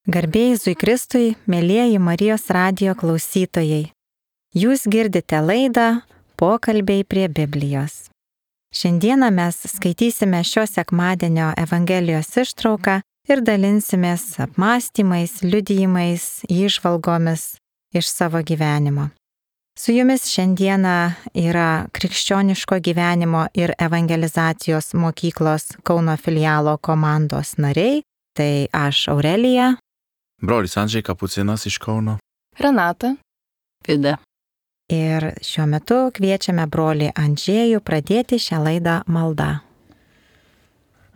Garbė Jėzui Kristui, mėlieji Marijos radijo klausytojai. Jūs girdite laidą Pokalbiai prie Biblijos. Šiandieną mes skaitysime šio sekmadienio Evangelijos ištrauką ir dalinsimės apmąstymais, liudijimais, įžvalgomis iš savo gyvenimo. Su jumis šiandieną yra Krikščioniško gyvenimo ir evangelizacijos mokyklos Kauno filialo komandos nariai. Tai aš Aurelija. Brolis Andžej Kapucinas iš Kauno. Renata. Vida. Ir šiuo metu kviečiame brolį Andžejų pradėti šią laidą maldą.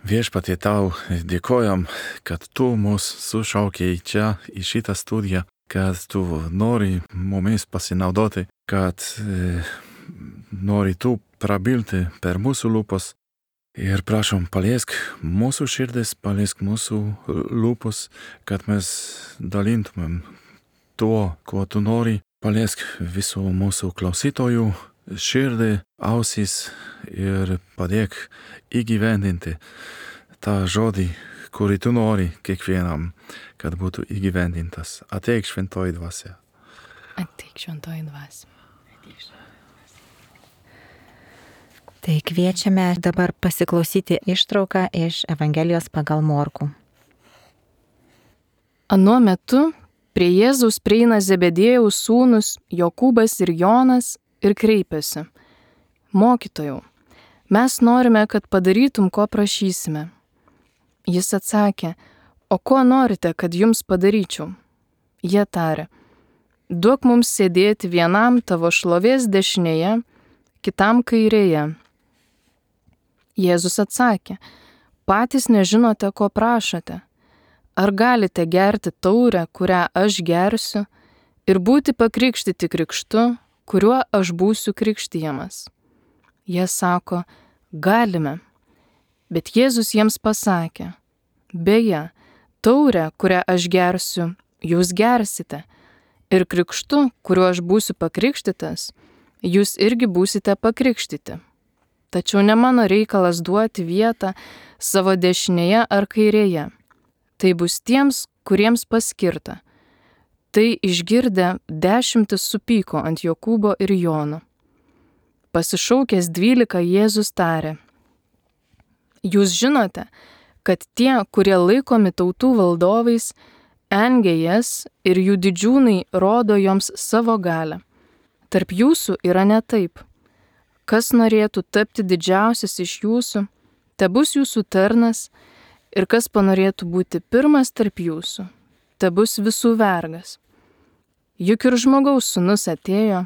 Viešpatie, tau dėkojam, kad tu mus sušaukei čia į šitą studiją, kad tu nori mumis pasinaudoti, kad nori tu prabilti per mūsų lūpas. Ir prašom, paliesk mūsų širdis, paliesk mūsų lūpus, kad mes dalintumėm tuo, ko tu nori. Paliesk visų mūsų klausytojų širdį, ausis ir padėk įgyvendinti tą žodį, kurį tu nori kiekvienam, kad būtų įgyvendintas. Ateik šventoji dvasia. Ateik šventoji dvasia. Tai kviečiame dabar pasiklausyti ištrauką iš Evangelijos pagal Morkų. Anuo metu prie Jėzaus prieina Zebediejaus sūnus Jokūbas ir Jonas ir kreipiasi: Mokytojau, mes norime, kad padarytum, ko prašysime. Jis atsakė: O ko norite, kad jums padaryčiau? Jie tarė: Duok mums sėdėti vienam tavo šlovės dešinėje, kitam kairėje. Jėzus atsakė: Patys nežinote, ko prašote. Ar galite gerti taurę, kurią aš gersiu, ir būti pakrikštyti krikštu, kuriuo aš būsiu krikštijamas? Jie sako: Galime. Bet Jėzus jiems pasakė: Beje, taurę, kurią aš gersiu, jūs gersite, ir krikštu, kuriuo aš būsiu pakrikštytas, jūs irgi būsite pakrikštyti. Tačiau ne mano reikalas duoti vietą savo dešinėje ar kairėje. Tai bus tiems, kuriems paskirta. Tai išgirdę 10 supyko ant Jokūbo ir Jono. Pasišaukęs 12 Jėzus tarė: Jūs žinote, kad tie, kurie laikomi tautų valdovais, engia jas ir jų didžiūnai rodo joms savo galią. Tarp jūsų yra ne taip. Kas norėtų tapti didžiausias iš jūsų, tebus jūsų tarnas, ir kas panorėtų būti pirmas tarp jūsų, tebus visų vergas. Juk ir žmogaus sūnus atėjo,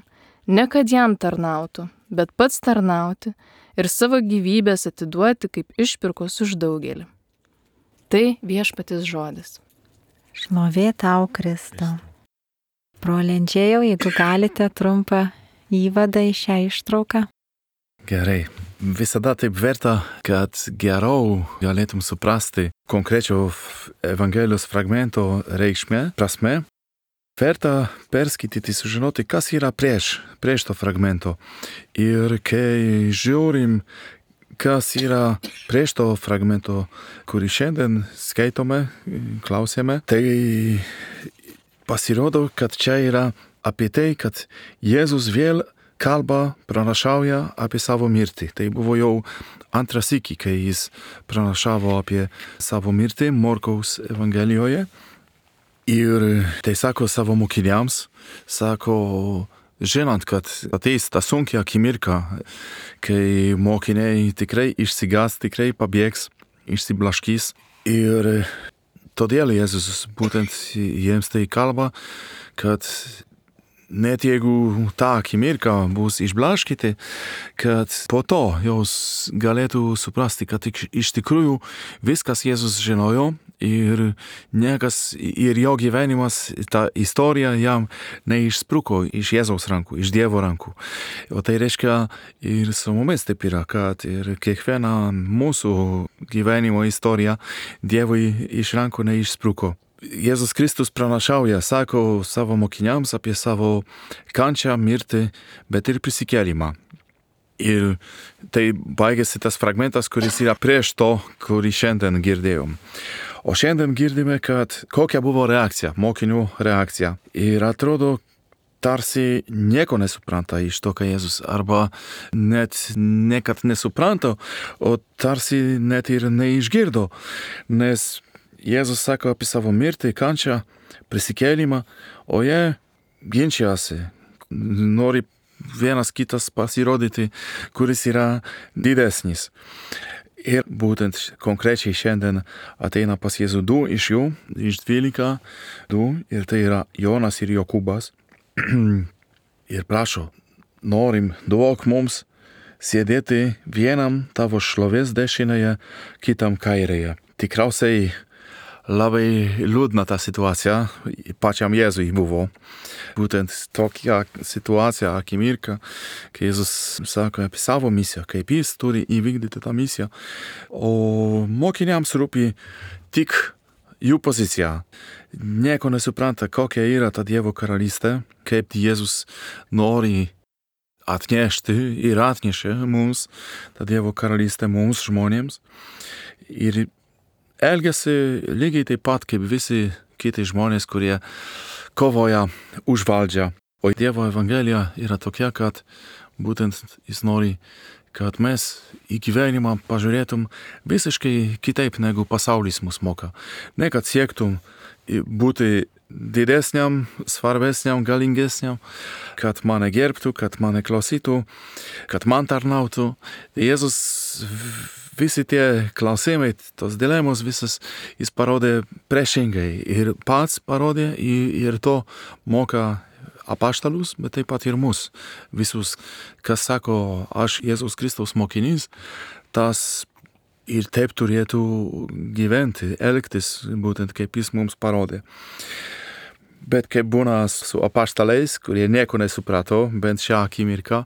ne kad jam tarnautų, bet pats tarnauti ir savo gyvybės atiduoti kaip išpirkos už daugelį. Tai Viešpaties žodis. Šlovė tau, Kristau. Broli Andžejau, jeigu galite trumpą įvadą į šią ištrauką. Gerai. Visada taip verta, kad geriau galėtum suprasti konkrečio Evangelijos fragmento reikšmę, prasme. Verta perskaityti, sužinoti, kas yra prieš to fragmento. Ir kai žiūrim, kas yra prieš to fragmento, kurį šiandien skaitome, klausėme, tai pasirodo, kad čia yra apie tai, kad Jėzus vėl kalba, pranašauja apie savo mirtį. Tai buvo jau antras sykį, kai jis pranašavo apie savo mirtį Morkaus Evangelijoje. Ir tai sako savo mokiniams, sako, žinant, kad ateis ta sunkia akimirka, kai mokiniai tikrai išsigas, tikrai pabėgs, išsiblaškys. Ir todėl Jėzus būtent jiems tai kalba, kad net jeigu ta akimirka bus išblaškyti, kad po to jos galėtų suprasti, kad iš tikrųjų viskas Jėzus žinojo ir niekas ir jo gyvenimas, ta istorija jam neišspruko iš Jėzaus rankų, iš Dievo rankų. O tai reiškia ir su mumis taip yra, kad ir kiekviena mūsų gyvenimo istorija Dievui iš rankų neišspruko. Jėzus Kristus pranašauja, sako savo mokiniams apie savo kančią, mirtį, bet ir prisikėlimą. Ir tai baigėsi tas fragmentas, kuris yra prieš to, kurį šiandien girdėjom. O šiandien girdime, kad kokia buvo reakcija, mokinių reakcija. Ir atrodo, tarsi nieko nesupranta iš to, ką Jėzus, arba net ne kad nesupranta, o tarsi net ir neišgirdo, nes Jėzus sako apie savo mirtį, kančią, prisikėlimą, o jie ginčiasi, nori vienas kitas pasirodyti, kuris yra didesnis. Ir būtent konkrečiai šiandien ateina pas Jėzų 2 iš jų, iš 12, 2, ir tai yra Jonas ir Jokūbas. Ir prašo, norim, duok mums sėdėti vienam tavo šlovės dešinėje, kitam kairėje. Tikriausiai labai liūdna ta situacija pačiam Jėzui buvo. Būtent tokia situacija, akimirka, kai Jėzus sako apie savo misiją, kaip jis turi įvykdyti tą misiją. O mokiniams rūpi tik jų pozicija. Nieko nesupranta, kokia yra ta Dievo karalystė, kaip Jėzus nori atnešti ir atnešė mums tą Dievo karalystę mums žmonėms. Ir elgiasi lygiai taip pat kaip visi kiti žmonės, kurie kovoja už valdžią. O Dievo evangelija yra tokia, kad būtent jis nori, kad mes į gyvenimą pažiūrėtum visiškai kitaip, negu pasaulis mus moka. Ne kad siektum būti didesniam, svarbesniam, galingesniam, kad mane gerbtų, kad mane klausytų, kad man tarnautų. Jėzus visi tie klausimai, tos dilemos visas, jis parodė priešingai ir pats parodė ir to moka apaštalus, bet taip pat ir mus visus, kas sako, aš Jėzus Kristaus mokinys, tas ir taip turėtų gyventi, elgtis, būtent kaip jis mums parodė. Bet kaip būna su apaštalais, kurie nieko nesuprato, bent šią akimirką,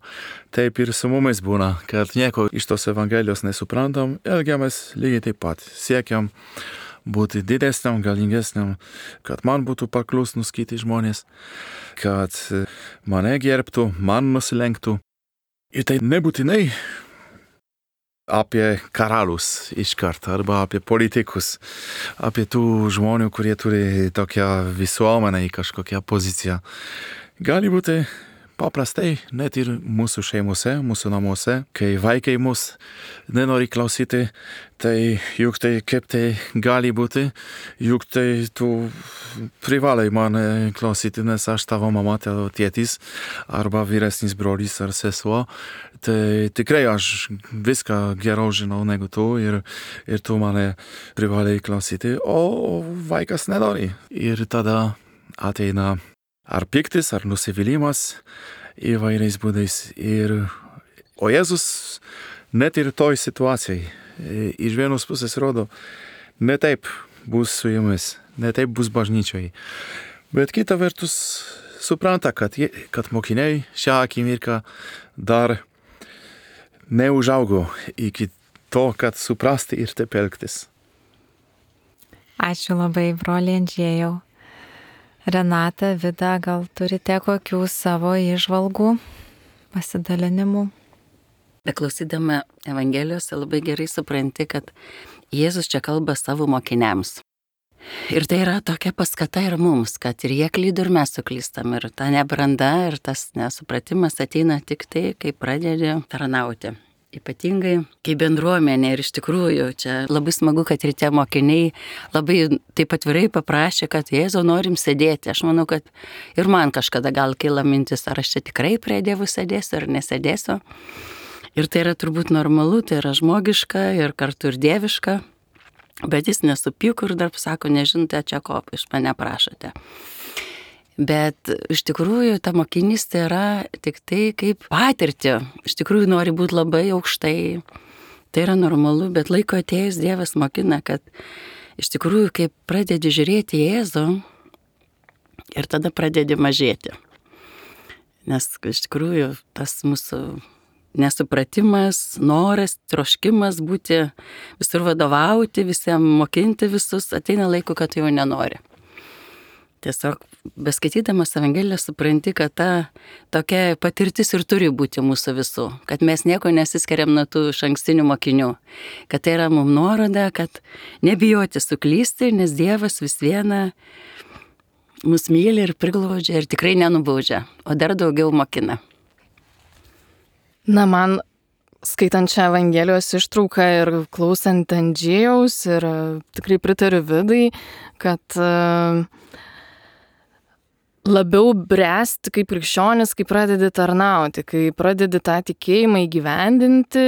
taip ir su mumis būna, kad nieko iš tos evangelijos nesuprantam, elgiamės lygiai taip pat. Siekiam būti didesniam, galingesniam, kad man būtų paklusnus kiti žmonės, kad mane gerbtų, man nusilenktų. Ir tai nebūtinai apie karalius iškart, arba apie politikus, apie tų žmonių, kurie turi tokią visuomenę, kažkokią poziciją. Gali būti paprastai, net ir mūsų šeimose, mūsų namuose, kai vaikai mus nenori klausyti, tai juk tai kaip tai gali būti, juk tai tu privalai mane klausyti, nes aš tavo mama, tavo tėtis, arba vyresnis brolis ar sesuo, tai tikrai aš viską geriau žinau negu tu ir tu mane privalai klausyti, o vaikas nenori. Ir tada ateina ar piktis, ar nusivylimas įvairiais būdais. O Jėzus net ir toj situacijai iš vienos pusės rodo, ne taip bus su jumis, ne taip bus bažnyčiai. Bet kita vertus supranta, kad mokiniai šią akimirką dar neužaugo iki to, kad suprasti ir taip elgtis. Ačiū labai, broliai Andžėjau. Renata, Vida, gal turite kokių savo įžvalgų, pasidalinimų? Beklausydama Evangelijos labai gerai supranti, kad Jėzus čia kalba savo mokiniams. Ir tai yra tokia paskata ir mums, kad ir jie klydo, ir mes suklystam. Ir ta nebranda ir tas nesupratimas ateina tik tai, kai pradedi tarnauti. Ypatingai, kai bendruomenė, ir iš tikrųjų čia labai smagu, kad ir tie mokiniai labai taip atvirai paprašė, kad Jėzau, norim sėdėti. Aš manau, kad ir man kažkada gal kyla mintis, ar aš čia tikrai prie Dievų sėdėsiu ar nesėdėsiu. Ir tai yra turbūt normalu, tai yra žmogiška ir kartu ir dieviška, bet jis nesupyko ir dar sako, nežinote, čia ko iš mane prašote. Bet iš tikrųjų ta mokinystė yra tik tai kaip patirtį. Iš tikrųjų nori būti labai aukštai. Tai yra normalu, bet laiko atėjus Dievas mokina, kad iš tikrųjų kaip pradedi žiūrėti į Jėzų ir tada pradedi mažėti. Nes iš tikrųjų tas mūsų nesupratimas, noras, troškimas būti visur vadovauti, visiems mokinti visus, ateina laiko, kad jau nenori. Tiesiog beskaitydamas Evangeliją supranti, kad ta tokia patirtis ir turi būti mūsų visų, kad mes nieko nesiskiriam nuo tų išankstinių mokinių, kad tai yra mums nuoroda, kad nebijoti suklysti, nes Dievas vis viena mus myli ir priglaudžia ir tikrai nenubaudžia, o dar daugiau mokina. Na, man skaitant šią Evangelijos ištrauką ir klausant Andžėjaus ir tikrai pritariu Vidai, kad labiau bręsti kaip krikščionis, kai pradedi tarnauti, kai pradedi tą tikėjimą įgyvendinti,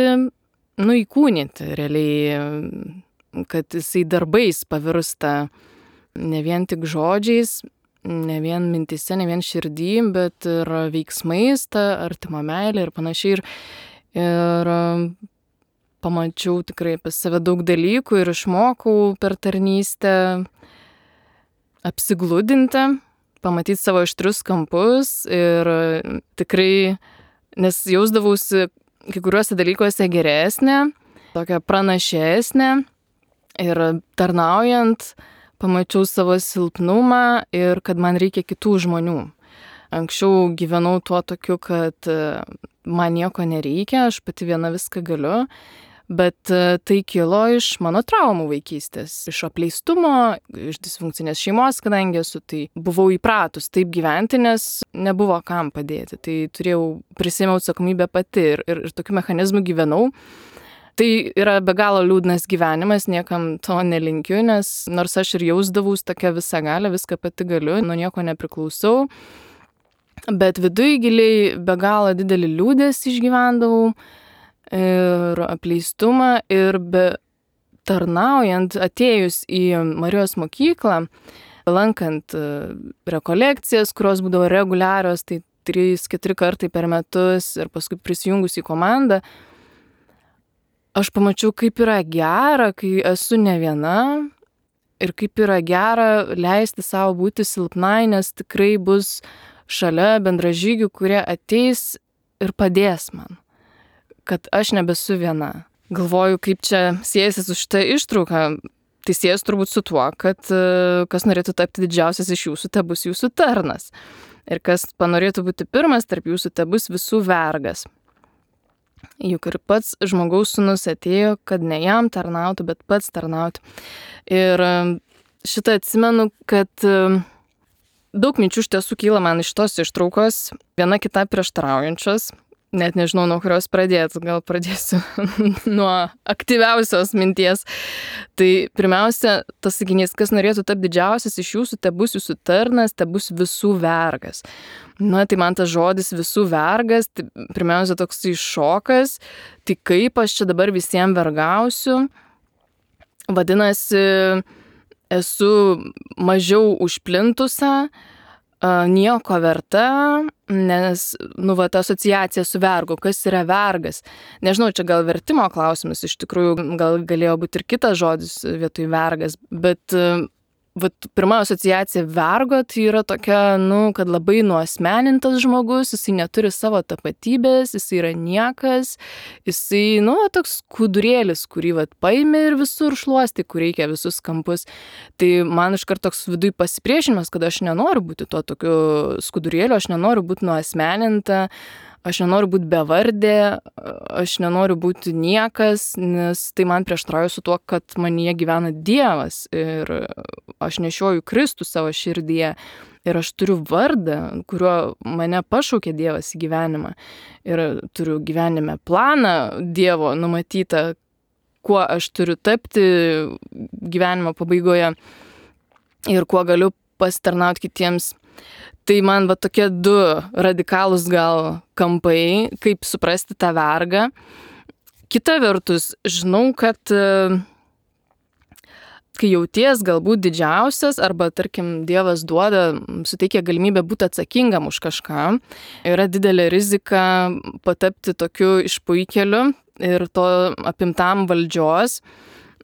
įkūnyti realiai, kad jisai darbais pavirsta ne vien tik žodžiais, ne vien mintise, ne vien širdį, bet ir veiksmais, ta artima meilė ir panašiai. Ir pamačiau tikrai apie save daug dalykų ir išmokau per tarnystę apsigludinti, pamatyti savo aštrius kampus ir tikrai, nes jausdavausi kai kuriuose dalykuose geresnė, tokia pranašesnė ir tarnaujant pamačiau savo silpnumą ir kad man reikia kitų žmonių. Anksčiau gyvenau tuo tokiu, kad man nieko nereikia, aš pati viena viską galiu, bet tai kilo iš mano traumų vaikystės, iš apleistumo, iš disfunkcinės šeimos, kadangi esu, tai buvau įpratus taip gyventi, nes nebuvo kam padėti, tai prisėmiau atsakomybę pati ir tokiu mechanizmu gyvenau. Tai yra be galo liūdnas gyvenimas, niekam to nelinkiu, nes nors aš ir jausdavaus tokia visagalė, viską pati galiu, nuo nieko nepriklausau. Bet viduj giliai be galo didelį liūdesį išgyvendavau ir apleistumą ir tarnaujant, atėjus į Marijos mokyklą, lankant rekolekcijas, kurios būdavo reguliarios, tai 3-4 kartai per metus ir paskui prisijungus į komandą, aš pamačiau, kaip yra gera, kai esu ne viena ir kaip yra gera leisti savo būti silpnai, nes tikrai bus šalia bendražygių, kurie ateis ir padės man, kad aš nebesu viena. Galvoju, kaip čia siejasi su šitą ištrauką. Tai siejasi turbūt su tuo, kad kas norėtų tapti didžiausias iš jūsų, te bus jūsų tarnas. Ir kas panorėtų būti pirmas tarp jūsų, te bus visų vergas. Juk ir pats žmogaus sūnus atėjo, kad ne jam tarnautų, bet pats tarnautų. Ir šitą atsimenu, kad daug minčių iš tiesų kyla man iš tos ištraukos, viena kita prieštaraujančios, net nežinau, nuo kurios pradėti, gal pradėsiu nuo aktyviausios minties. Tai pirmiausia, tas sakinys, kas norėtų tapti didžiausias iš jūsų, te bus jūsų tarnas, te bus visų vergas. Na, tai man tas žodis visų vergas, tai pirmiausia toks šokas, tai kaip aš čia dabar visiems vergausiu, vadinasi, esu mažiau užplintusa, nieko verta, nes, ta asociacija su vergu, kas yra vergas. Nežinau, čia gal vertimo klausimas, iš tikrųjų gal galėjo būti ir kitas žodis vietoj vergas, bet pirma asociacija vergo, tai yra tokia, kad labai nuasmenintas žmogus, jisai neturi savo tapatybės, jisai yra niekas, jisai, toks skudurėlis, kurį paimi ir visur šluosti, kur reikia visus kampus. Tai man iškart toks viduj pasipriešinimas, kad aš nenoriu būti tuo tokiu skudurėliu, aš nenoriu būti nuasmeninta, aš nenoriu būti bevardė, aš nenoriu būti niekas, nes tai man prieštarauja su tuo, kad manyje gyvena Dievas ir aš nešioju Kristų savo širdyje ir aš turiu vardą, kuriuo mane pašaukė Dievas į gyvenimą ir turiu gyvenime planą Dievo numatytą, kuo aš turiu tapti gyvenimo pabaigoje ir kuo galiu pasitarnauti kitiems. Tai man tokie du radikalūs gal kampai, kaip suprasti tą vergą. Kita vertus, žinau, kad kai jauties galbūt didžiausias arba, tarkim, Dievas suteikia galimybę būti atsakingam už kažką, yra didelė rizika patapti tokiu išpuikeliu ir to apimtam valdžios.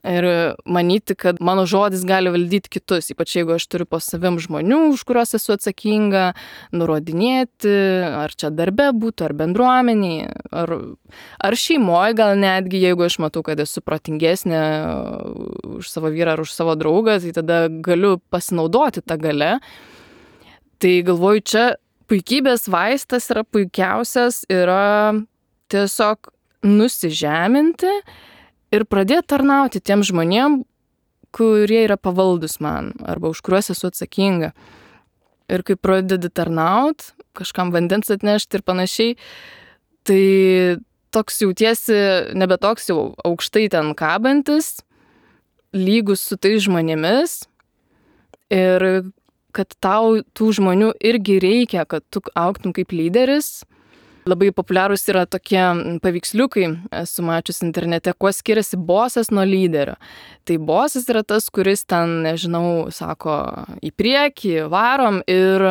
Ir manyti, kad mano žodis gali valdyti kitus, ypač jeigu aš turiu po savim žmonių, už kuriuos esu atsakinga, nurodinėti, ar čia darbe būtų, ar bendruomeniai, ar šeimoje gal netgi, jeigu aš matau, kad esu protingesnė už savo vyrą ar už savo draugą, tai tada galiu pasinaudoti tą galę Tai galvoju, čia puikybės vaistas yra puikiausias, yra tiesiog nusižeminti ir pradėti tarnauti tiem žmonėm, kurie yra pavaldus man arba už kuriuos esu atsakinga. Ir kai pradedi tarnaut, kažkam vandens atnešti ir panašiai, tai toks jautiesi nebe toks jau aukštai ten kabantis, lygus su tais žmonėmis ir kad tau tų žmonių irgi reikia, kad tu augtum kaip lyderis. Labai populiarūs yra tokie paveiksliukai, esu mačius internete, kuo skiriasi bosas nuo lyderio. Tai bosas yra tas, kuris ten, nežinau, sako į priekį, varom ir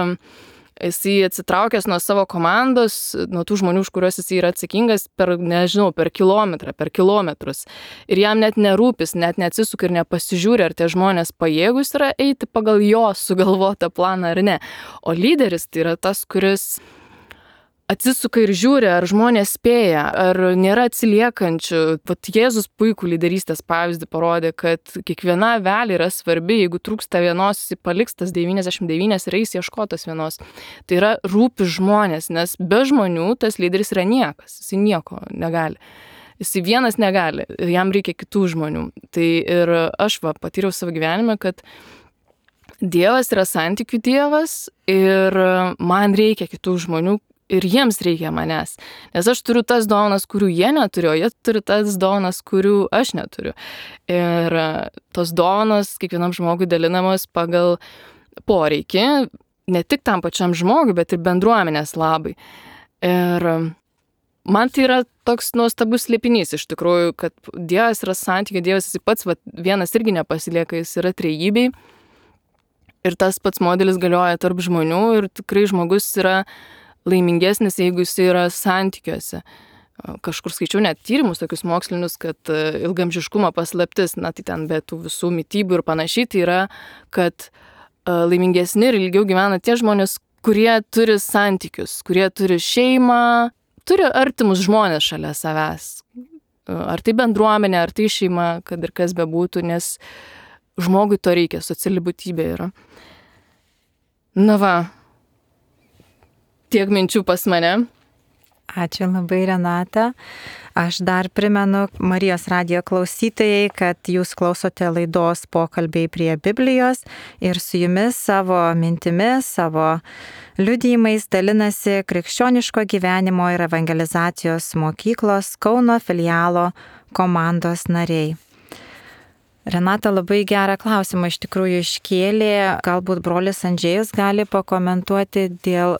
jisai atsitraukęs nuo savo komandos, nuo tų žmonių, už kuriuos jisai yra atsakingas per, nežinau, per kilometrą, per kilometrus. Ir jam net nerūpis, net neatsisuka ir nepasižiūri, ar tie žmonės pajėgus yra eiti pagal jo sugalvotą planą ar ne. O lyderis tai yra tas, kuris atsisuka ir žiūri, ar žmonės spėja, ar nėra atsiliekančių. Vat Jėzus puikų lyderystės pavyzdį parodė, kad kiekviena avelė yra svarbi, jeigu trūksta vienos, jis paliks tas 99 ir eis ieškotos vienos. Tai yra rūpi žmonės, nes be žmonių tas lyderis yra niekas, jis nieko negali. Jis vienas negali, jam reikia kitų žmonių. Tai ir aš patyriau savo gyvenime, kad Dievas yra santykių Dievas ir man reikia kitų žmonių, ir jiems reikia manęs. Nes aš turiu tas dovanas, kurių jie neturi, o jie turi tas dovanas, kurių aš neturiu. Ir tos dovanas kiekvienam žmogui dalinamos pagal poreikį, ne tik tam pačiam žmogui, bet ir bendruomenės labai. Ir man tai yra toks nuostabus slėpinys iš tikrųjų, kad Dievas yra santykių, Dievas jis pats vienas irgi nepasilieka, jis yra trejybei. Ir tas pats modelis galioja tarp žmonių ir tikrai žmogus yra laimingesnis, jeigu jis yra santykiuose. Kažkur skaičiau net tyrimus tokius mokslinius, kad ilgamžiškumo paslaptis, na tai ten be tų visų mitybų ir panašiai, tai yra, kad laimingesni ir ilgiau gyvena tie žmonės, kurie turi santykius, kurie turi šeimą, turi artimus žmonės šalia savęs. Ar tai bendruomenė, ar tai šeima, kad ir kas bebūtų, nes žmogui to reikia, sociali būtybė yra. Na va, tiek minčių pas mane. Ačiū labai, Renata. Aš dar primenu Marijos radijo klausytojai, kad jūs klausote laidos Pokalbiai prie Biblijos ir su jumis savo mintimis, savo liudijimais dalinasi Krikščioniško gyvenimo ir evangelizacijos mokyklos Kauno filialo komandos nariai. Renata labai gerą klausimą iš tikrųjų iškėlė, galbūt brolis Andžėjus gali pakomentuoti dėl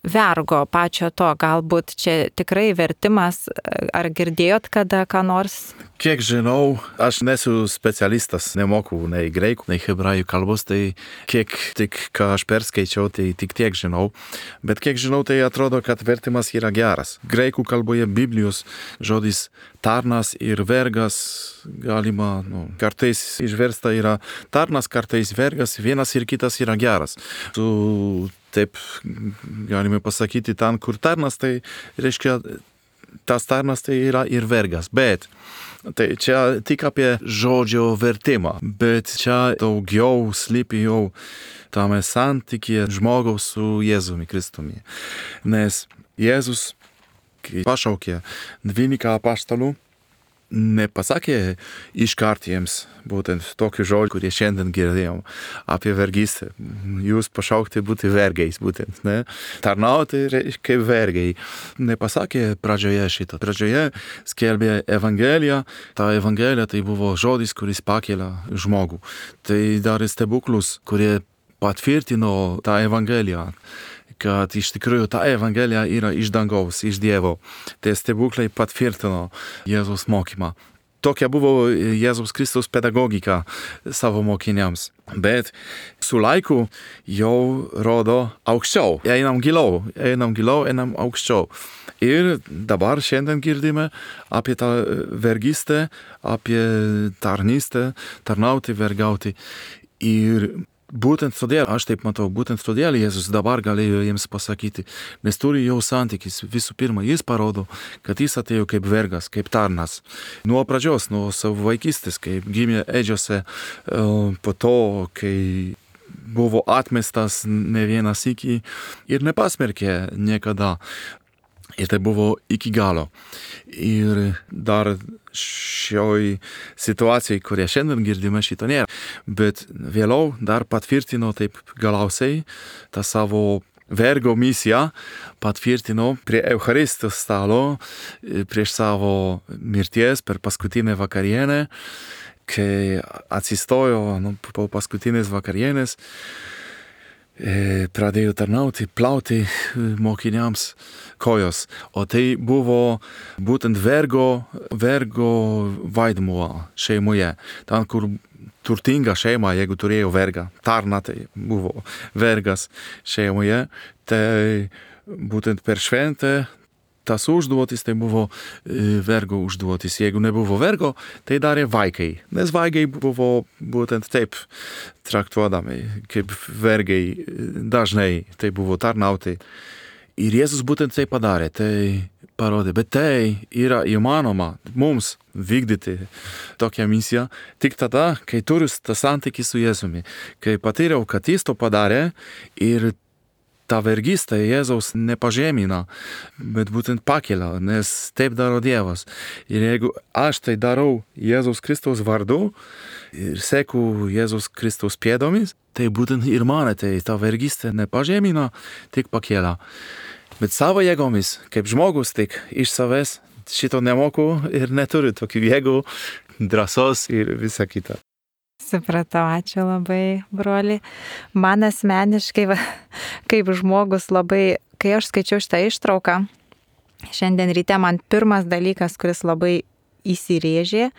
vergo pačio to, galbūt čia tikrai vertimas, ar girdėjot kada ką nors? Kiek žinau, aš nesu specialistas, nemoku nei graikų, nei hebrajų kalbos, tai kiek tik ką aš perskaičiau, tai tik tiek žinau. Bet kiek žinau, tai atrodo, kad vertimas yra geras. Graikų kalboje Biblijos žodis tarnas ir vergas galima, kartais išversta yra tarnas, kartais vergas, vienas ir kitas yra geras. Taip galime pasakyti, ten, kur tarnas, tai reiškia, tas tarnas tai yra ir vergas, bet tai čia tik apie žodžio vertimą, bet čia daugiau slypi jau tame santykyje žmogaus su Jėzumi Kristumi. Nes Jėzus, kai pašaukė 12 apaštalų, nepasakė iškart jiems būtent tokių žodžių, kurie šiandien girdėjom apie vergystę. Jūs pašaukti būti vergais būtent, ne? Tarnauti kaip vergai. Nepasakė pradžioje šito. Pradžioje skelbė Evangeliją. Ta Evangelija tai buvo žodis, kuris pakelia žmogų. Tai darė stebuklus, kurie patvirtino tą Evangeliją, kad iš tikrųjų ta Evangelija yra iš dangaus, iš Dievo. Tie stebuklai patvirtino Jėzaus mokymą. Tokia buvo Jėzaus Kristaus pedagogika savo mokiniams. Bet su laiku jau rodo aukščiau. Einam giliau, einam aukščiau. Ir dabar šiandien girdime apie tą vergystę, apie tarnystę, tarnauti, vergauti. Ir būtent todėl, aš taip matau, būtent todėl Jėzus dabar galėjo jiems pasakyti, nes turi jau santykis. Visų pirma, jis parodo, kad jis atėjo kaip vergas, kaip tarnas. Nuo pradžios, nuo savo vaikystės, kaip gimė ėdžiose, po to, kai buvo atmestas ne vieną sykį ir nepasmerkė niekada. Ir tai buvo iki galo. Ir dar šioj situacijai, kurią šiandien girdime, šito nėra. Bet vėliau dar patvirtino taip galiausiai tą savo vergo misiją, patvirtino prie Eucharistijos stalo prieš savo mirties per paskutinę vakarienę, kai atsistojo po paskutinės vakarienės, pradėjo tarnauti, plauti mokiniams kojos. O tai buvo būtent vergo vaidmuo šeimoje. Ten, kur turtinga šeima, jeigu turėjo vergą, tarna, tai buvo vergas šeimoje, tai būtent per šventę tas užduotis, tai buvo vergo užduotis. Jeigu nebuvo vergo, tai darė vaikai. Nes vaikai buvo būtent taip traktuodami, kaip vergai dažnai tai buvo tarnauti. Ir Jėzus būtent tai padarė, tai parodė. Bet tai yra įmanoma mums vykdyti tokią misiją tik tada, kai turiu tą santykį su Jėzumi. Kai patyriau, kad jis to padarė ir ta vergystė Jėzaus nepažemina, bet būtent pakelia, nes taip daro Dievas. Ir jeigu aš tai darau Jėzaus Kristaus vardu ir seku Jėzaus Kristaus pėdomis, tai būtent ir mane tai ta vergystė nepažemina, tik pakelia. Bet savo jėgomis, kaip žmogus, tik iš savęs šito nemoku ir neturiu tokių jėgų, drąsos ir visa kita. Supratau, ačiū labai, broli. Man asmeniškai, kaip žmogus labai, kai aš skaičiau šitą ištrauką, šiandien ryte man pirmas dalykas, kuris labai įsirėžė,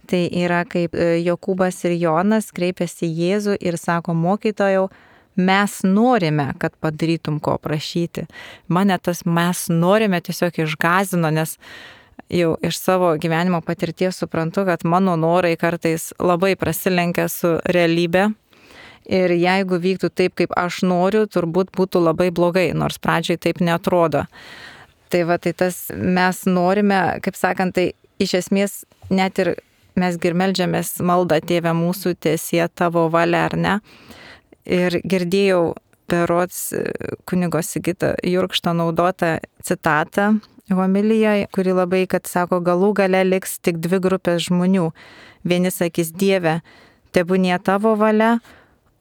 tai yra, kaip Jokūbas ir Jonas kreipiasi į Jėzų ir sako, mokytojau, mes norime, kad padarytum ko prašyti. Mane tas mes norime tiesiog išgąsdino, nes jau iš savo gyvenimo patirties suprantu, kad mano norai kartais labai prasilenkia su realybė ir jeigu vyktų taip, kaip aš noriu, turbūt būtų labai blogai, nors pradžiai taip neatrodo. Tai tai tas mes norime, kaip sakant, tai iš esmės net ir mes meldžiamės maldą Tėve mūsų, tiesie tavo valia, ar ne? Ir girdėjau berods kunigo Sigito Jurkšto naudotą citatą homilijoje, kuri labai, kad sako, galų gale liks tik dvi grupės žmonių. Vieni sakys, Dieve, tebūnie tavo valia,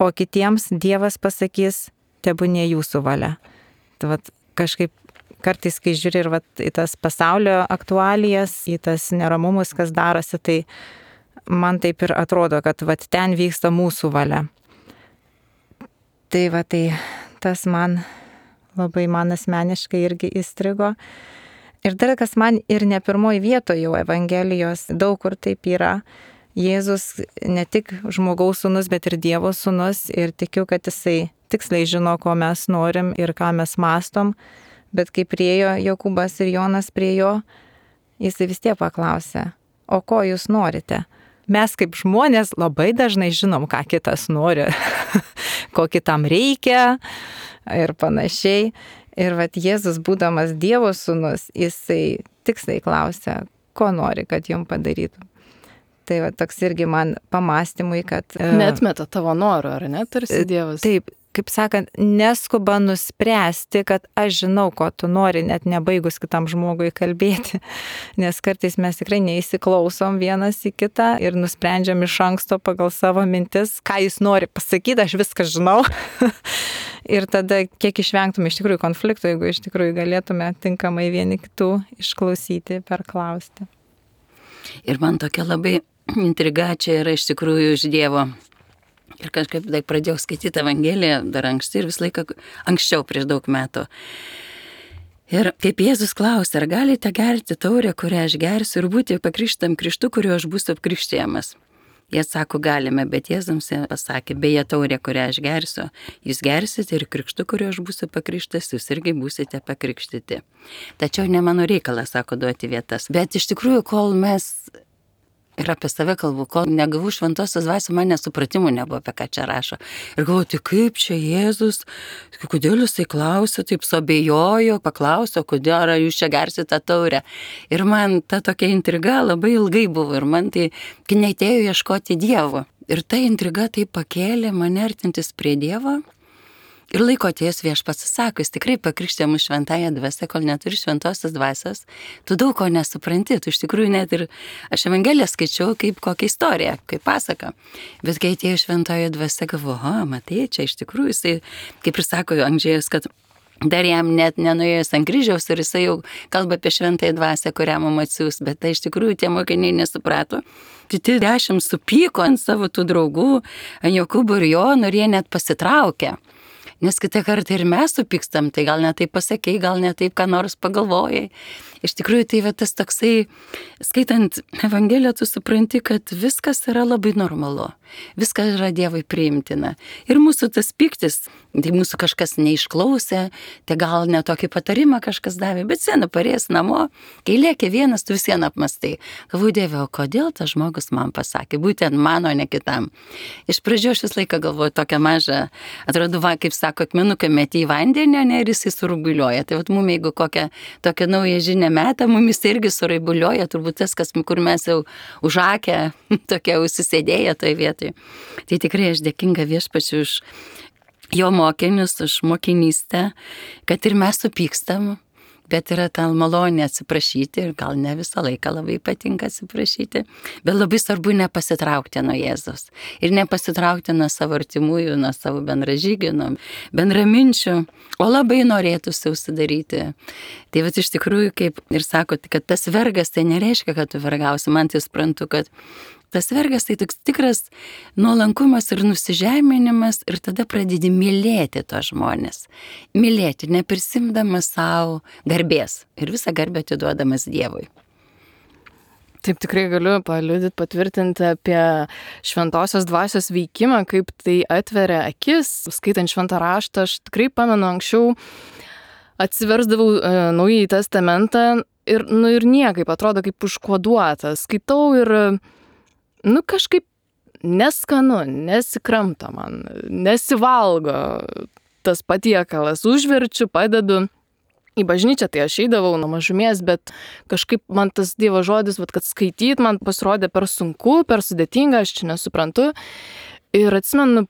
o kitiems Dievas pasakys, tebūnie jūsų valia. Tai kažkaip kartais, kai žiūri ir į tas pasaulio aktualijas, į tas neramumus, kas darosi, tai man taip ir atrodo, kad ten vyksta mūsų valia. Tai tas man labai asmeniškai irgi įstrigo. Ir dar kas man ir ne pirmoji vietoje jau Evangelijos, daug kur taip yra. Jėzus ne tik žmogaus sūnus, bet ir Dievo sūnus ir tikiu, kad jisai tiksliai žino, ko mes norim ir ką mes mastom, bet kai priėjo Jokūbas ir Jonas prie jo, jisai vis tiek paklausė, o ko jūs norite? Mes kaip žmonės labai dažnai žinom, ką kitas nori, ko kitam reikia ir panašiai. Ir Jėzus, būdamas Dievo sūnus, jisai tiksliai klausia, ko nori, kad jum padarytų. Tai toks irgi man pamastymui, kad... Neatmeta tavo norų, ar ne, tarsi Dievas? Taip, kaip sakant, neskuba nuspręsti, kad aš žinau, ko tu nori, net nebaigus kitam žmogui kalbėti. Nes kartais mes tikrai neįsiklausom vienas į kitą ir nusprendžiam iš anksto pagal savo mintis, ką jis nori pasakyti, aš viską žinau. Ir tada kiek išvengtume iš tikrųjų konfliktų, jeigu iš tikrųjų galėtume tinkamai vieni kitų išklausyti, perklausti. Ir man tokia labai intriga čia yra iš tikrųjų iš Dievo. Ir kažkaip pradėjau skaityti Evangeliją dar anksti ir visą laiką anksčiau prieš daug metų. Ir kaip Jėzus klausė, ar galite gerti taurę, kurią aš gersiu, ir būti pakrikštytam krikštu, kuriuo aš būsiu apkrikštijamas. Jie sako, galime, bet Jėzus pasakė, beje taurė, kurią aš gersiu, jūs gersite ir krikštu, kuriuo aš būsiu pakrikštas, jūs irgi būsite pakrikštyti. Tačiau ne mano reikalas, sako, duoti vietas. Bet iš tikrųjų, kol mes... Ir apie save kalbu, kol negavau šventosios dvasios, man nesupratimų nebuvo, apie ką čia rašo. Ir galvoju, tai kaip čia Jėzus, kodėl jisai klausė, taip suabejojo, paklausė, kodėl ar jūs čia gersite tą taurę. Ir man ta tokia intriga labai ilgai buvo ir man tai, kai neatėjo ieškoti Dievo. Ir ta intriga taip pakėlė mane artintis prie Dievo. Ir laiko atėjus Viešpats sako, jis tikrai pakrikštė mus šventąją dvasią, kol neturi šventosios dvasios, tu daug ko nesupranti, tu iš tikrųjų net ir aš Evangeliją skaičiau kaip kokią istoriją, kaip pasaką. Bet kai atėjo šventoji dvasia, galvoju, matai, čia iš tikrųjų jisai, kaip ir sako Andžėjus, kad dar jam net nenuėjus ant kryžiaus ir jisai jau kalba apie šventąją dvasią, kurią mums atsiųs, bet tai iš tikrųjų tie mokiniai nesuprato. Kiti 10 supyko ant savo tų draugų, ant Jokūbo ir Jono, ir jie net pasitraukė. Nes kitą kartą ir mes supykstam, tai gal ne taip pasakei, gal ne taip ką nors pagalvojai. Iš tikrųjų, tai va tas toksai, skaitant Evangeliją, tu supranti, kad viskas yra labai normalu. Viskas yra Dievui priimtina. Ir mūsų tas pyktis, tai mūsų kažkas neišklausė, tai gal ne tokį patarimą kažkas davė, bet sena parės namo, kai lėkė vienas, tu visieną apmastai. Galvoju, Dieve, o kodėl tas žmogus man pasakė, būtent mano, ne kitam. Iš pradžių aš visą laiką galvoju tokią mažą, atrodo, kaip sako, akmenuką meti į vandenį, ne, ir jisai surubuliuoja. Tai vat mums, jeigu kokią tokią naują žinią metą, mumis irgi suraibuliuoja, turbūt tas, kur mes jau užakę, tokia užsisėdėję toje vietoje. Tai tikrai aš dėkinga Viešpačiui už jo mokinius, už mokinystę, kad ir mes supykstam, bet yra ta malonė atsiprašyti ir gal ne visą laiką labai patinka atsiprašyti, bet labai svarbu nepasitraukti nuo Jėzus ir nepasitraukti nuo savo artimųjų, nuo savo bendražygių, nuo bendraminčių, o labai norėtųsi užsidaryti. Tai vat iš tikrųjų, kaip ir sako, kad tas vergas tai nereiškia, kad tu vergausi, man tai suprantu, kad tas vergas tai toks tikras nuolankumas ir nusižeminimas ir tada pradedi mylėti tos žmonės. Mylėti, neprisimdamas savo garbės ir visą garbę atiduodamas Dievui. Taip tikrai galiu paliudyti, patvirtinti apie šventosios dvasios veikimą, kaip tai atveria akis. Skaitant šventą raštą, aš tikrai pamenu anksčiau atsiversdavau Naująjį testamentą ir niekaip atrodo kaip užkoduota. Skaitau ir kažkaip neskanu, nesikramta man, nesivalgo tas patiekalas. Užverčiu, padedu į bažnyčią, tai aš eidavau nuo mažumės, bet kažkaip man tas Dievo žodis, kad skaityt man pasirodė per sunku, per sudėtinga, aš čia nesuprantu. Ir atsimenu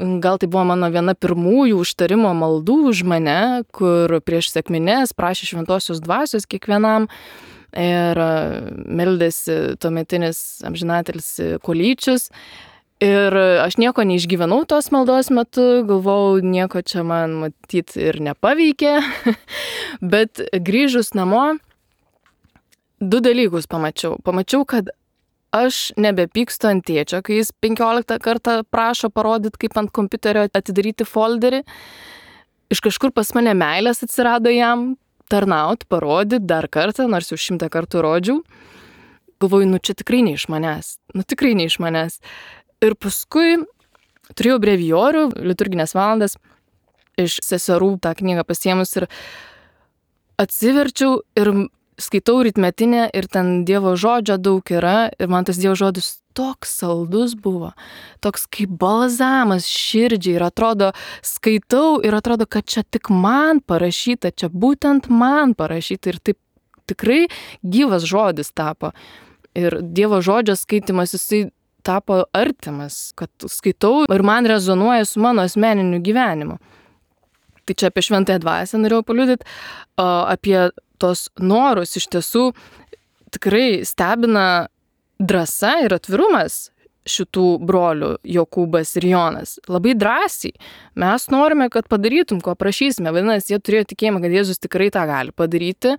gal tai buvo mano viena pirmųjų užtarimo maldų už mane, kur prieš sekmines prašė šventosios dvasios kiekvienam. Ir meldėsi tuometinis amžinatelis Kolyčius. Ir aš nieko neišgyvenau tos maldos metu, galvojau, nieko čia man matyti ir nepaveikė. Bet grįžus namo, 2 dalykus pamačiau. Pamačiau, kad aš nebepykstu ant tėčio, kai jis 15 kartą prašo parodyti, kaip ant kompiuterio atidaryti folderį. Iš kažkur pas mane meilės atsirado jam tarnaut, parodyti dar kartą, nors jau 100 kartų rodžiau. Galvoju, čia tikrai ne iš manęs. Ir paskui turėjau brevijorių, liturginės valandas, iš seserų tą knygą pasiėmus ir atsiverčiau ir skaitau rytmetinę ir ten Dievo žodžio daug yra ir man tas Dievo žodis toks saldus buvo, toks kaip balzamas širdžiai ir atrodo, skaitau ir atrodo, kad čia tik man parašyta, čia būtent man parašyta ir taip tikrai gyvas žodis tapo. Ir Dievo žodžio skaitimas, jisai tapo artimas, kad skaitau ir man rezonuoja su mano asmeniniu gyvenimu. Tai čia apie šventąją dvasią norėjau paliudyti, apie tos norus iš tiesų tikrai stebina drąsa ir atvirumas šitų brolių Jokūbas ir Jonas. Labai drąsiai. Mes norime, kad padarytum, ko prašysime. Vadinasi, jie turėjo tikėjimą, kad Jėzus tikrai tą gali padaryti.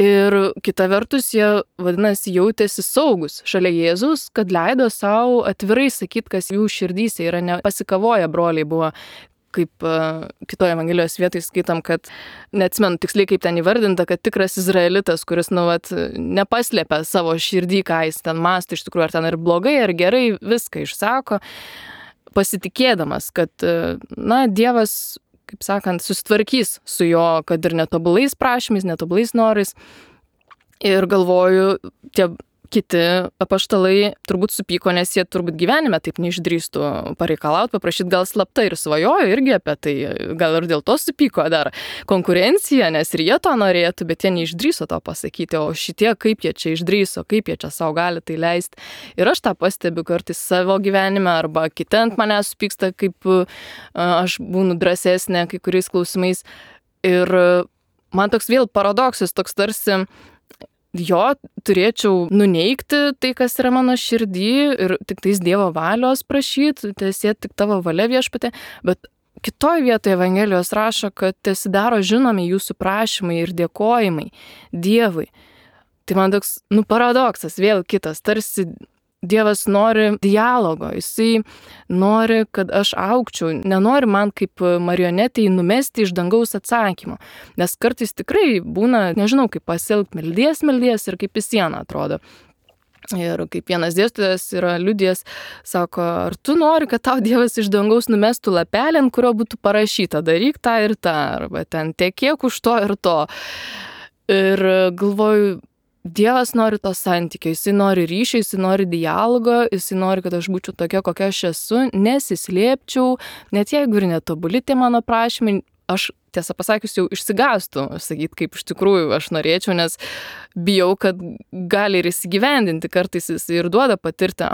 Ir kita vertus, jie, vadinasi, jautėsi saugus šalia Jėzus, kad leido savo atvirai sakyti, kas jų širdyse yra, nepasikavoję broliai buvo. Kaip kitoje Evangelijos vietoje skaitam, kad neatsimenu tiksliai, kaip ten įvardinta, kad tikras izraelitas, kuris, nepaslėpia savo širdį, ką jis ten mąsto, iš tikrųjų, ar ten ir blogai, ar gerai, viską išsako, pasitikėdamas, kad, Dievas, kaip sakant, susitvarkys su jo, kad ir netobulais prašymais, netobulais norais. Ir galvoju, tie kiti apaštalai turbūt supyko, nes jie turbūt gyvenime taip neišdrįstų pareikalauti, paprašyti, gal slapta ir svajojo irgi apie tai, gal ir dėl to supyko dar konkurencija, nes ir jie to norėtų, bet jie neišdrįso to pasakyti, o šitie kaip jie čia išdrįso, kaip jie čia savo gali tai leisti. Ir aš tą pastebiu kartais savo gyvenime, arba kiti ant manęs supyksta, kaip aš būnu drąsesnė kai kuriais klausimais. Ir man toks vėl paradoksas, toks tarsi jo turėčiau nuneigti tai, kas yra mano širdį ir tik tais Dievo valios prašyti, teesie tik tavo valia, Viešpatie, bet kitoj vietoje Evangelijos rašo, kad teesidaro žinomi jūsų prašymai ir dėkojimai Dievui. Tai man toks, paradoksas, vėl kitas, tarsi Dievas nori dialogo, jisai nori, kad aš augčiau, nenori man kaip marionetei numesti iš dangaus atsakymo, nes kartais tikrai būna, nežinau, kaip pasielgti, meldies ir kaip į sieną atrodo. Ir kaip vienas dėstytojas yra liudijęs, sako, ar tu nori, kad tau Dievas iš dangaus numestų lapelį, ant kurio būtų parašyta, daryk tą ir tą, arba ten tekėk už to ir to. Ir galvoju, Dievas nori to santykio, jisai nori ryšio, jisai nori dialogo, jisai nori, kad aš būčiau tokia, kokia aš esu, nesislėpčiau, net jeigu ir netobuli tie mano prašymai, aš tiesą pasakius jau išsigąstu, sakyti, kaip iš tikrųjų aš norėčiau, nes bijau, kad gali ir įsigyvendinti, kartais jisai ir duoda patirti,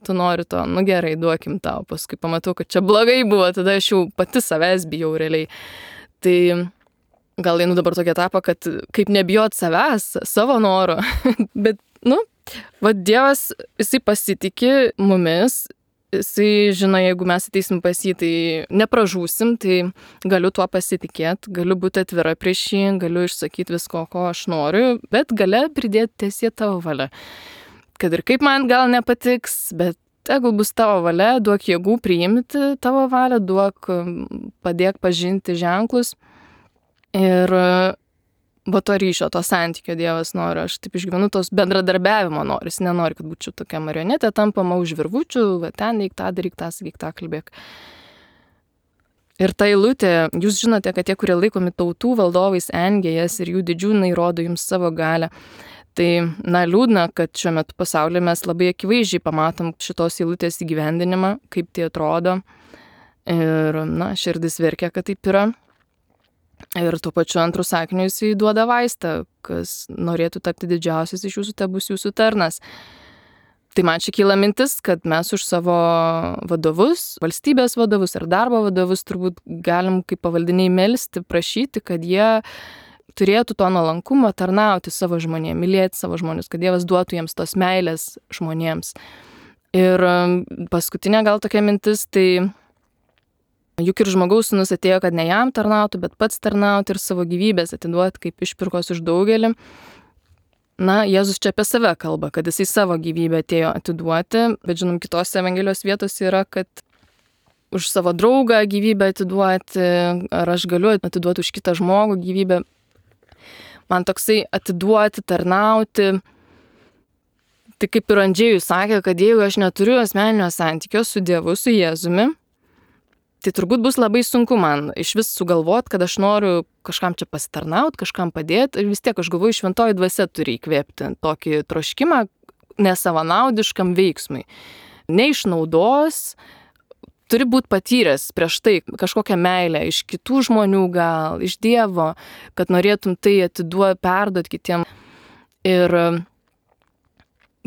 tu nori to, gerai, duokim tau, paskui pamatau, kad čia blogai buvo, tada aš jau pati savęs bijau realiai. Tai gal einu dabar tokia etapą, kad kaip nebijot savęs, savo noro, bet, Dievas, jisai pasitikė mumis, jisai žino, jeigu mes ateisim pas jį, tai nepražūsim, tai galiu tuo pasitikėti, galiu būti atvira prieš jį, galiu išsakyti visko, ko aš noriu, bet gale pridėti teesie tavo valia. Kad ir kaip man gal nepatiks, bet tegul bus tavo valia, duok jėgų priimti tavo valią, padėk pažinti ženklus. Ir to ryšio, to santykio Dievas nori, aš taip išgyvenu, tos bendradarbiavimo nori, jis nenori, kad būčiau tokia marionetė, tampama už virvučių, ten eik tą, daryk tą, sakyk tą, kalbėk. Ir ta eilutė, jūs žinote, kad tie, kurie laikomi tautų valdovais, engia jas ir jų didžiūnai rodo jums savo galią. Tai, liūdna, kad šiuo metu pasaulyje mes labai akivaizdžiai pamatom šitos eilutės įgyvendinimą, kaip tai atrodo. Ir, širdis verkia, kad taip yra. Ir tuo pačiu antrų sakiniu jisai duoda vaistą, kas norėtų tapti didžiausias iš jūsų, te bus jūsų tarnas. Tai man čia kyla mintis, kad mes už savo vadovus, valstybės vadovus ar darbo vadovus turbūt galim kaip pavaldiniai melsti, prašyti, kad jie turėtų to nuolankumo tarnauti savo žmonėms, mylėti savo žmonės, kad Dievas duotų jiems tos meilės žmonėms. Ir paskutinė gal tokia mintis, tai juk ir žmogaus sūnus atėjo, kad ne jam tarnautų, bet pats tarnauti ir savo gyvybės atiduoti kaip išpirkos už daugelį. Jėzus čia apie save kalba, kad jisai savo gyvybę atėjo atiduoti, bet žinom, kitose Evangelijos vietose yra, kad už savo draugą gyvybę atiduoti, ar aš galiu atiduoti už kitą žmogų gyvybę. Man toksai atiduoti, tarnauti. Tai kaip ir Andžėjus sakė, kad jeigu aš neturiu asmeninio santykio su Dievu, su Jėzumi, tai turbūt bus labai sunku man iš vis sugalvoti, kad aš noriu kažkam čia pasitarnauti, kažkam padėti. Ir vis tiek aš galvoju, šventoji dvasia turi įkvėpti tokį troškimą nesavanaudiškam veiksmui. Neišnaudos, turi būti patyręs prieš tai kažkokią meilę iš kitų žmonių gal, iš Dievo, kad norėtum tai perduoti kitiem. Ir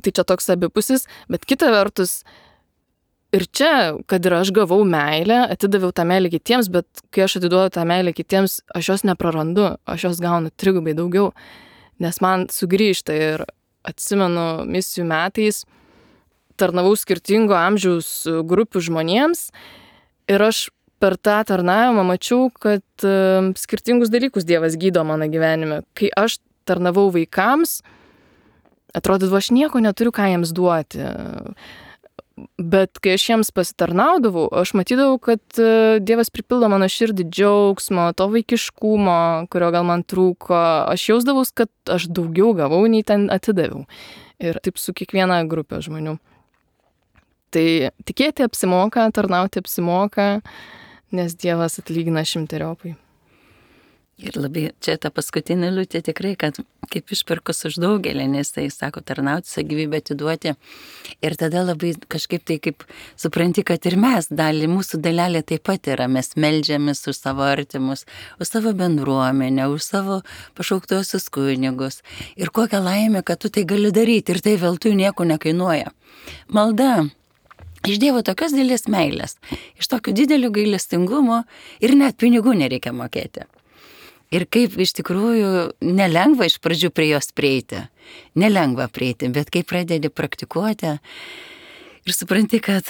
tai čia toks abipusis, bet kita vertus, ir čia, kad ir aš gavau meilę, atidaviau tą meilę kitiems, bet kai aš atiduodu tą meilę kitiems, aš jos neprarandu, aš jos gaunu trigubai daugiau, nes man sugrįžta. Ir atsimenu, misijų metais tarnavau skirtingo amžiaus grupių žmonėms ir aš per tą tarnavimą mačiau, kad skirtingus dalykus Dievas gydo mano gyvenime. Kai aš tarnavau vaikams, atrodo, aš nieko neturiu ką jiems duoti. Bet kai aš jiems pasitarnaudavau, aš matydavau, kad Dievas pripildo mano širdį džiaugsmo, to vaikiškumo, kurio gal man trūko. Aš jausdavau, kad aš daugiau gavau, nei ten atidaviau. Ir taip su kiekviena grupė žmonių. Tai tikėti apsimoka, tarnauti apsimoka, nes Dievas atlygina šimteriopai. Ir labai čia ta paskutinė liūtė tikrai, kad kaip išpirkus už daugelį, nes tai sako tarnauti, savo gyvybę atiduoti. Ir tada labai kažkaip tai kaip supranti, kad ir mes dalį, mūsų dalelė taip pat yra, mes meldžiamės už savo artimus, už savo bendruomenę, už savo pašauktuosius kunigus. Ir kokią laimę, kad tu tai gali daryti ir tai veltui nieko nekainuoja. Malda. Iš Dievo tokios didelės meilės, iš tokio didelio gailestingumo ir net pinigų nereikia mokėti. Ir kaip iš tikrųjų nelengva iš pradžių prie jos prieiti, nelengva prieiti, bet kai pradedi praktikuoti ir supranti, kad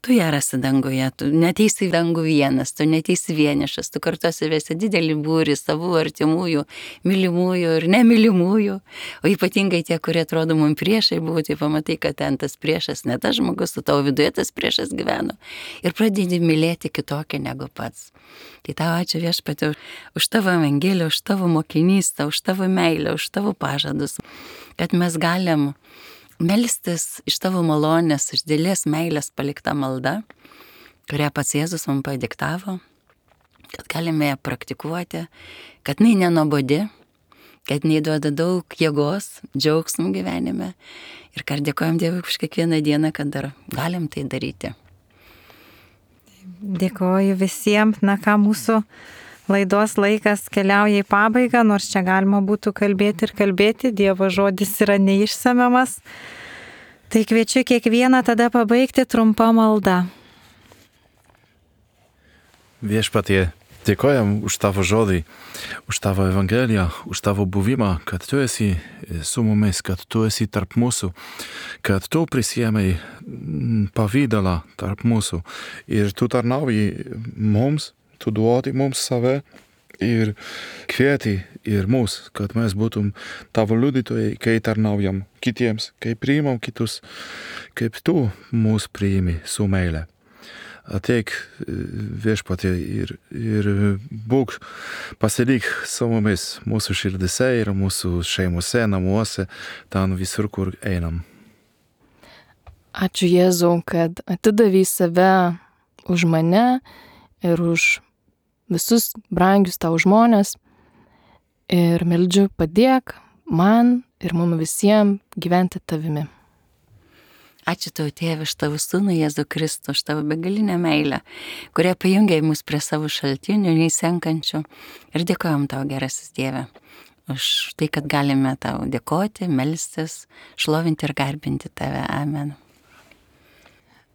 tu ją rasi danguje, tu neteisi į dangų vienas, tu neteisi vienišas, tu kartu vesi didelį būrį savų artimųjų, mylimųjų ir nemylimųjų, o ypatingai tie, kurie atrodo mums priešai buvo, tai pamatai, kad ten tas priešas ne tas žmogus, su tavo viduje tas priešas gyveno ir pradedi mylėti kitokią negu pats. Tai tau ačiū Viešpatie už tavo evangeliją, už tavo mokinystę, už tavo meilę, už tavo pažadus, kad mes galim melstis iš tavo malonės, iš didelės meilės palikta malda, kurią pats Jėzus mums padiktavo, kad galime ją praktikuoti, kad jinai nenuobodi, kad jinai duoda daug jėgos, džiaugsmų gyvenime ir kad dėkojam Dievui už kiekvieną dieną, kad dar galim tai daryti. Dėkoju visiems, mūsų laidos laikas keliauja į pabaigą, nors čia galima būtų kalbėti ir kalbėti, Dievo žodis yra neišsemiamas. Tai kviečiu kiekvieną tada pabaigti trumpą maldą. Viešpatie, dėkojam už tavo žodį, už tavo evangeliją, už tavo buvimą, kad tu esi su mumis, kad tu esi tarp mūsų, kad tu prisiėmei pavydalą tarp mūsų ir tu tarnauji mums, tu duodi mums save ir kvieti ir mus, kad mes būtum tavo liudytojai, kai tarnaujam kitiems, kai priimam kitus, kaip tu mus priimi su meile. Ateik Viešpatie ir būk pasilik su mumis mūsų širdise ir mūsų šeimose, namuose, ten visur, kur einam. Ačiū Jėzau, kad atidavei save už mane ir už visus brangius tau žmonės. Ir meldžiu, padėk man ir mums visiems gyventi tavimi. Ačiū tau, Tėve, už tavo sūnų Jėzų Kristų, už tavo begalinę meilę, kurią pajungiai mus prie savo šaltinių, neįsenkančių. Ir dėkojam tau, gerasis Dieve, už tai, kad galime tau dėkoti, melstis, šlovinti ir garbinti tave. Amen.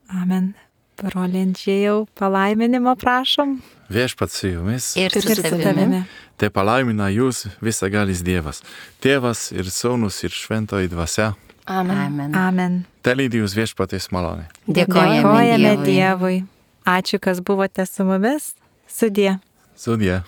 Amen. Broli Andžejau, palaiminimo prašom. Viešpats su jumis. Ir su tavimi. Te palaimina jūs visagalis Dievas, Tėvas ir Sūnus ir Šventoji Dvasia. Amen. Amen. Amen. Te lydi jūs Viešpaties malonė. Dėkojame Dievui. Ačiū, kas buvote su mumis. Sudie. Sudie.